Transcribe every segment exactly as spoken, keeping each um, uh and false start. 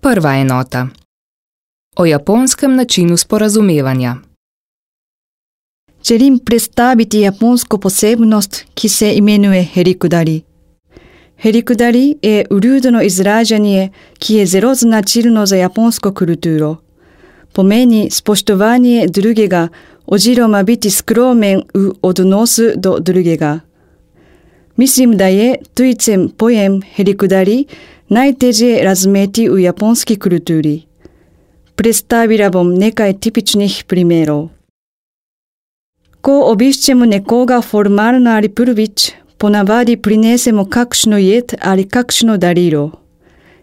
Prva enota. O japonskem načinu sporazumevanja. Želim predstaviti japonsko posebnost, ki se imenuje herikudari. Herikudari je uljudno izražanje, ki je zelo značilno za japonsko kulturo. Pomeni spoštovanje drugega oziroma biti skromen v odnosu do drugega. Mislim, da je tujcem pojem herikudari najtežje razumeti v japonski kulturi. Predstavila bom nekaj tipičnih primerov. Ko obiščemo nekoga formalno ali prvič, ponavadi prinesemo kakšno jed ali kakšno darilo.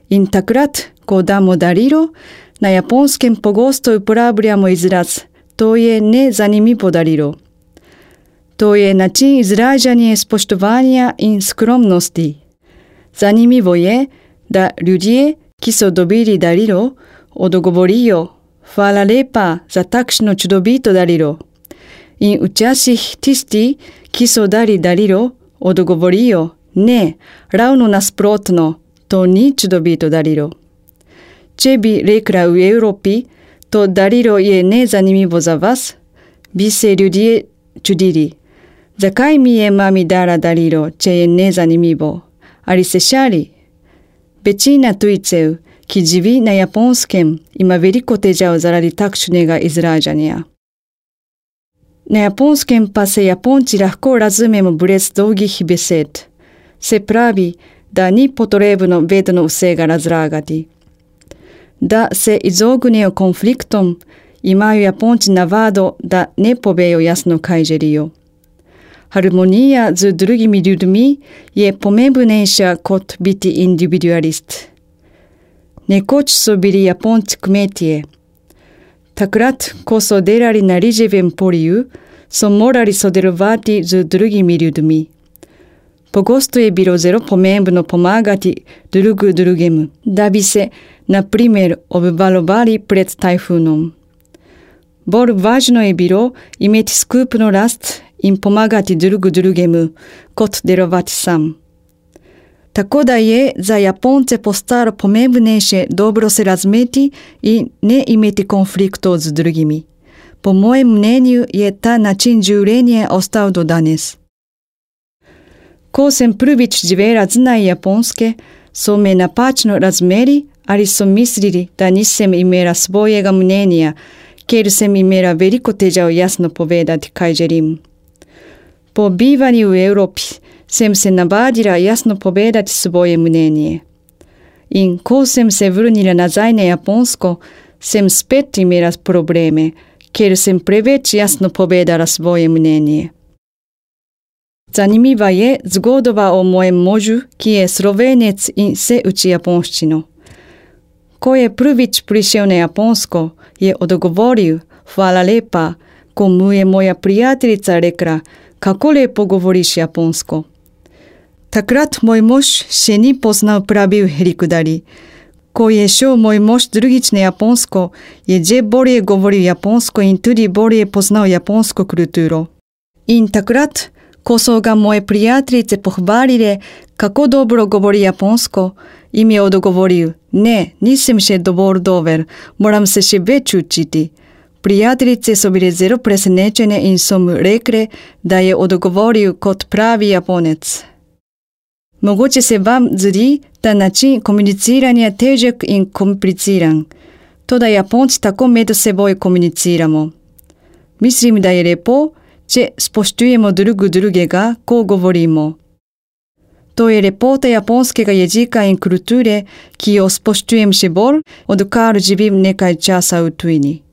In takrat, ko damo darilo, na japonskem pogosto uporabljamo izraz to je nezanimivo darilo. To je način izražanja spoštovanja in skromnosti. Zanimivo je, da ljudje, ki so dobili darilo, odgovorijo hvala lepa za takšno čudovito darilo. In včasih tisti, ki so dali darilo, odgovorijo ne, ravno nasprotno, to ni čudovito darilo. Če bi rekla v Evropi, to darilo je nezanimivo za vas, bi se ljudje čudili. Zakaj mi je mami dala darilo, če je nezanimivo? Ali se šali? Večina tujcev, ki živi na japonskem, ima veliko težav zaradi takšnega izražanja. Na japonskem pa se Japonci lahko razumemo brez dolgih besed. Se pravi, da ni potrebno vedno vsega razlagati. Da se izognejo konfliktom, imajo Japonci navado, da ne povejo jasno, kaj želijo. Harmonija z drugimi ljudmi je pomembnejša kot biti individualist. Nekoč so bili Japonci kmetje. Takrat, ko so delali na riževem polju, so morali sodelovati z drugimi ljudmi. Pogosto je bilo zelo pomembno pomagati drug drugemu, da bi se, na primer, obvarovali pred tajfunom. Bolj važno je bilo imeti skupno rast in pomagati drug drugemu, kot delovati sam. Tako da je za Japonce postalo pomembnejše dobro se razumeti in ne imeti konfliktov z drugimi. Po mojem mnenju je ta način življenja ostal do danes. Ko sem prvič živela zunaj Japonske, so me napačno razumeli ali so mislili, da nisem imela svojega mnenja, ker sem imela veliko težav jasno povedati, kaj želim. Po bivanju v Evropi sem se navadila jasno povedati svoje mnenje. In ko sem se vrnila nazaj na Japonsko, sem spet imela probleme, ker sem preveč jasno povedala svoje mnenje. Zanimiva je zgodba o mojem možu, ki je Slovenec in se uči japonščino. Ko je prvič prišel na Japonsko, je odgovoril hvala lepa, ko mu je moja prijateljica rekla, kako lepo govoriš japonsko. Takrat moj mož še ni poznal pravi herikudari. Ko je šel moj mož drugič na Japonsko, je že bolje govoril japonsko in tudi bolje poznal japonsko kulturo. In takrat, ko so ga moje prijateljice pohvalile, kako dobro govori japonsko, jim je odgovoril, ne, nisem še dovolj dober, moram se še več učiti. Prijateljice so bile zelo presenečene in so mu rekle, da je odgovoril kot pravi Japonec. Mogoče se vam zdi ta način komuniciranja težek in kompliciran. Toda Japonci tako med seboj komuniciramo. Mislim, da je lepo, če spoštujemo drug drugega, ko govorimo. To je lepota japonskega jezika in kulture, ki jo spoštujem še bolj, odkar živim nekaj časa v tujini.